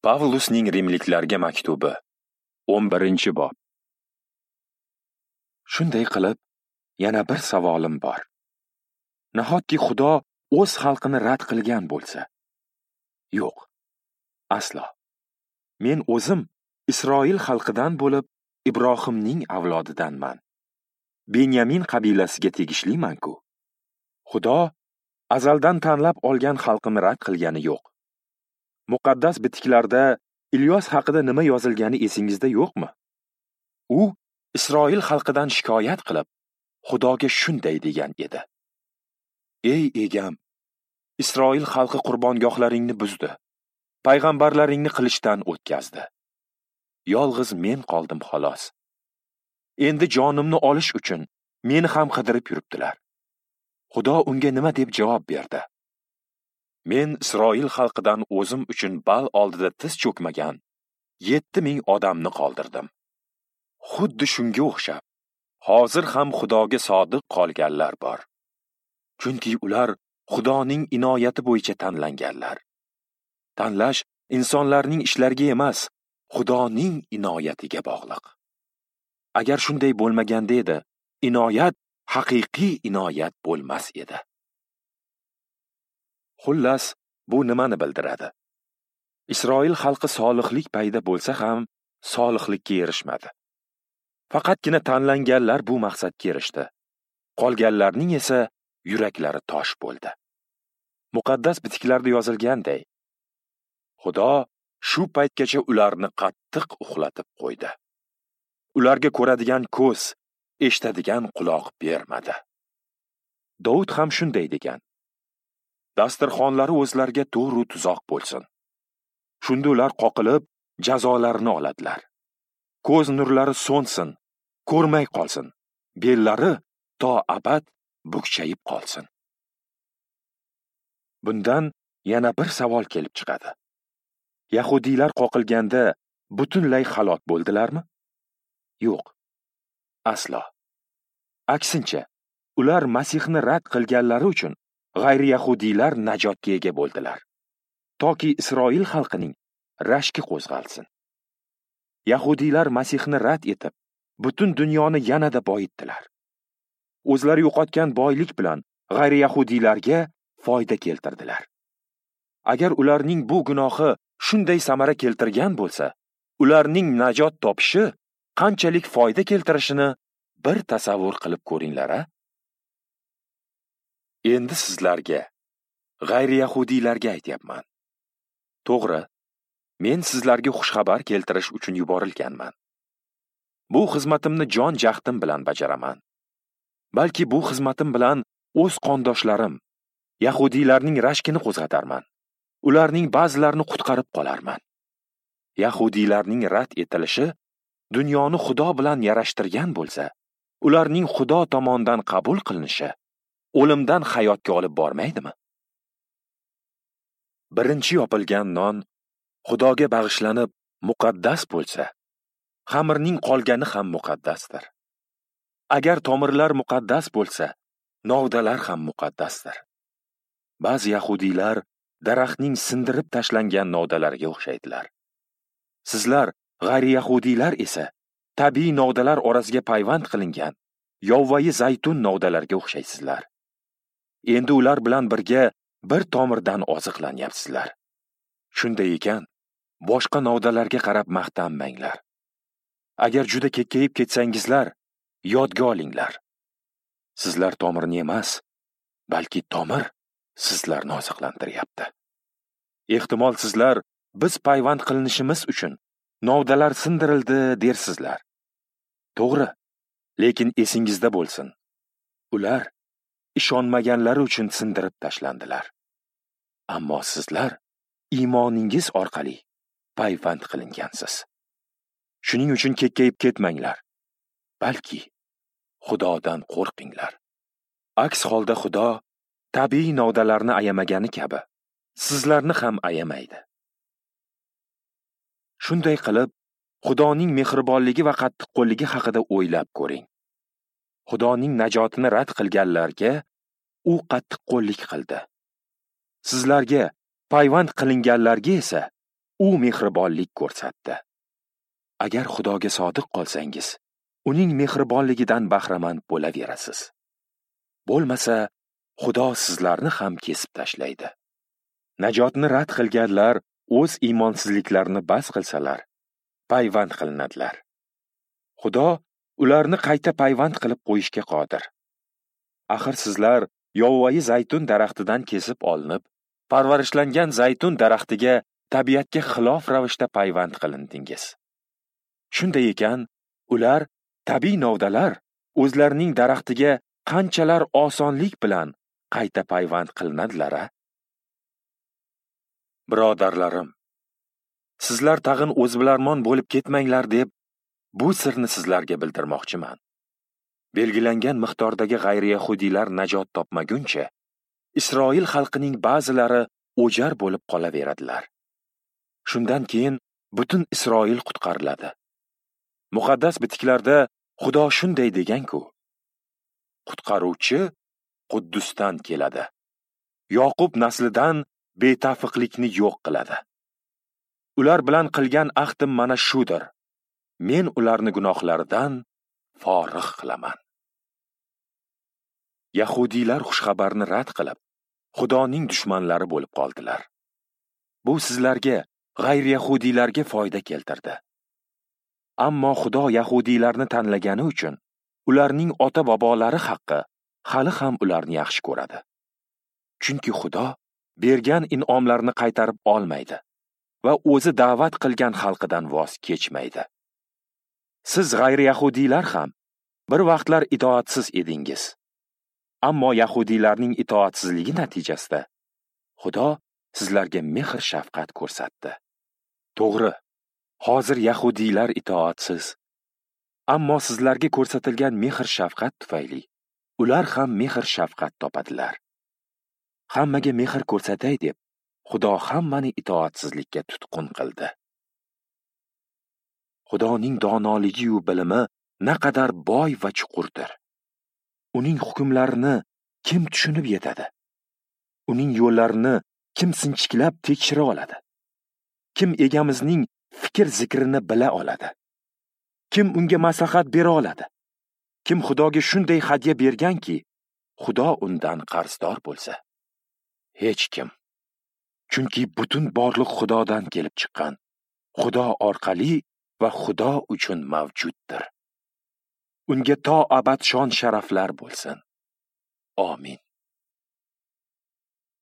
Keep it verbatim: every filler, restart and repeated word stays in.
Pavlusning Rimliklarga maktubi, o'n birinchi bob. Shunday qilib, yana bir savolim bor. Nahotki Xudo o'z xalqini rad qilgan bo'lsa? Yo'q, aslo. Men o'zim Isroil xalqidan bo'lib, Ibrohimning avlodidanman. Benyamin qabilasiga tegishliman-ku. Xudo azaldan tanlab olgan xalqini rad qilgani yo'q. Muqaddas bitiklarda Ilyos haqida nima yozilgani esingizda yo'qmi? U Isroil xalqidan shikoyat qilib, Xudoga shunday degan edi: Ey egam, Isroil xalqi qurbongohlaringni buzdi, payg'ambarlaringni qilichdan o'tkazdi. Yolg'iz men qoldim xolos. Endi jonimni olish uchun meni ham qidirib yuribdilar. Xudo unga nima deb javob berdi? Men Isroil xalqidan o'zim uchun Bal oldida tiz cho'kmagan yetti ming odamni qoldirdim. Xuddi shunga o'xshab, hozir ham Xudoga sodiq qolganlar bor. Chunki ular Xudoning inoyati bo'yicha tanlanganlar. Tanlash insonlarning ishlariga emas, Xudoning inoyatiga bog'liq. Agar shunday bo'lmaganda edi, inoyat haqiqiy inoyat bo'lmas edi. Xullas, bu nimani bildiradi? Isroil xalqi solihlik payda bo'lsa ham, solihlikka erishmadi. Faqatgina tanlanganlar bu maqsadga erishdi. Qolganlarning esa yuraklari tosh bo'ldi. Muqaddas bitiklarda yozilganday, Xudo shu paytgacha ularni qattiq uxlatib qo'ydi. Ularga ko'radigan ko'z, eshitadigan quloq bermadi. Davud ham shunday degan: dasturxonlari o'zlariga to'g'ri tuzoq bo'lsin. Shunda ular qoqilib, jazolarini oladilar. Ko'z nurlari so'nsin, ko'rmay qolsin. Bellari to abad bukchayib qolsin. Bundan yana bir savol kelib chiqadi. Yahudiylar qoqilganda butunlay halok bo'ldilarmi? Yo'q, aslo. Aksincha, ular Masihni rad qilganlari uchun g'ayri-yahudiylar najotga ega bo'ldilar, toki Isroil xalqining rashki qo'zg'alsin. Yahudiylar Masihni rad etib, butun dunyoni yanada boyitdilar. O'zlari yo'qotgan boylik bilan g'ayri-yahudiylarga foyda keltirdilar. Agar ularning bu gunohi shunday samara keltirgan bo'lsa, ularning najot topishi qanchalik foyda keltirishini bir tasavvur qilib ko'ringlar, a? Endi sizlarga, g'ayri-yahudiylarga aytyapman. To'g'ri, men sizlarga xushxabar keltirish uchun yuborilganman. Bu xizmatimni jon jahdim bilan bajaraman. Balki bu xizmatim bilan o'z qondoshlarim, yahudiylarning rashkini qo'zg'atarman. Ularning ba'zilarini qutqarib qolarman. Yahudiylarning rad etilishi dunyoni Xudo bilan yarashtirgan bo'lsa, ularning Xudo tomonidan qabul qilinishi o'limdan hayotga olib bormaydimi? Birinchi yopilgan non Xudoga bag'ishlanib muqaddas bo'lsa, xamirning qolgani ham muqaddasdir. Agar tomirlar muqaddas bo'lsa, novdalar ham muqaddasdir. Ba'zi yahudiylar daraxtning sindirib tashlangan novdalariga o'xshaydilar. Sizlar g'ayri-yahudiylar esa tabiiy novdalar orasiga payvand qilingan yovvoyi zaytun novdalariga o'xshaysizlar. Endi ular bilan birga bir tomirdan oziqlanyapsizlar. Shunday ekan, boshqa novdalarga qarab maqtanmanglar. Agar juda kekkayib ketsangizlar, yodga olinglar. Sizlar tomirni emas, balki tomir sizlarni oziqlantiryapti. Ehtimol sizlar biz payvand qilinishimiz uchun novdalar sindirildi dersizlar. To'g'ri, lekin esingizda bo'lsin. Ular ishonmaganlari uchun sindirib tashlandilar. Ammo sizlar iymoningiz orqali payvand qilingansiz. Shuning uchun kekkayib ketmanglar, balki Xudodan qo'rqinglar. Aks holda Xudo tabiiy novdalarni ayamagani kabi sizlarni ham ayamaydi. Shunday qilib, Xudoning mehribonligi va qattiqqo'lligi haqida o'ylab ko'ring. Xudoning najotini rad qilganlarga u qattiqqo'llik qildi. Sizlarga, payvand qilinganlarga esa u mehribonlik ko'rsatdi. Agar Xudoga sodiq qolsangiz, uning mehribonligidan bahramand bo'laverasiz. Bo'lmasa, Xudo sizlarni ham kesib tashlaydi. Najotni rad qilganlar o'z iymonsizliklarini bas qilsalar, payvand qilinadilar. Xudo ularni qayta payvand qilib qo'yishga qodir. Axir sizlar yovvoyi zaytun daraxtidan kesib olinib, parvarishlangan zaytun daraxtiga tabiatga xilof ravishda payvand qilindingiz. Shunday ekan, ular tabiiy novdalar o'zlarining daraxtiga qanchalar osonlik bilan qayta payvand qilinadilar-a? Birodarlarim, sizlar tag'in o'zbilarmon bo'lib ketmanglar deb bu sirni sizlarga bildirmoqchiman. Belgilangan miqdordagi g'ayri-yahudiylar najot topmaguncha, Isroil xalqining ba'zilari o'jar bo'lib qolaveradilar. Shundan keyin butun Isroil qutqariladi. Muqaddas bitiklarda Xudo shunday degan-ku: Qutqaruvchi Quddusdan keladi. Yoqub naslidan betafiqlikni yo'q qiladi. Ular bilan qilgan ahdim mana shudir. Men ularni gunohlaridan forig' qilaman. Yahudiylar xushxabarni rad qilib, Xudoning dushmanlari bo'lib qoldilar. Bu sizlarga, g'ayri-yahudiylarga foyda keltirdi. Ammo Xudo yahudiylarni tanlagani uchun ularning ota-bobolari haqqi hali ham ularni yaxshi ko'radi. Chunki Xudo bergan in'omlarni qaytarib olmaydi va o'zi da'vat qilgan xalqidan voz kechmaydi. Siz g'ayri-yahudiylar ham bir vaqtlar itoatsiz edingiz. Ammo yahudiylarning itoatsizligi natijasida Xudo sizlarga mehr-shafqat ko'rsatdi. To'g'ri, hozir yahudiylar itoatsiz. Ammo sizlarga ko'rsatilgan mehr-shafqat tufayli ular ham mehr-shafqat topadilar. Hammaga mehr ko'rsatay deb Xudo hammani itoatsizlikka tutqun qildi. Xudoning donoligi-yu bilimi naqadar boy va chuqurdir. Uning hukmlarini kim tushunib yetadi? Uning yo'llarini kim sinchiklab tekshira oladi? Kim egamizning fikr zikrini bila oladi? Kim unga maslahat bera oladi? Kim Xudoga shunday hadya berganki, Xudo undan qarzdor bo'lsa? Hech kim. Chunki butun borliq Xudodan kelib chiqqan, Xudo orqali va Xudo uchun mavjuddir. Unga to abad shon sharaflar bo'lsin. Amin.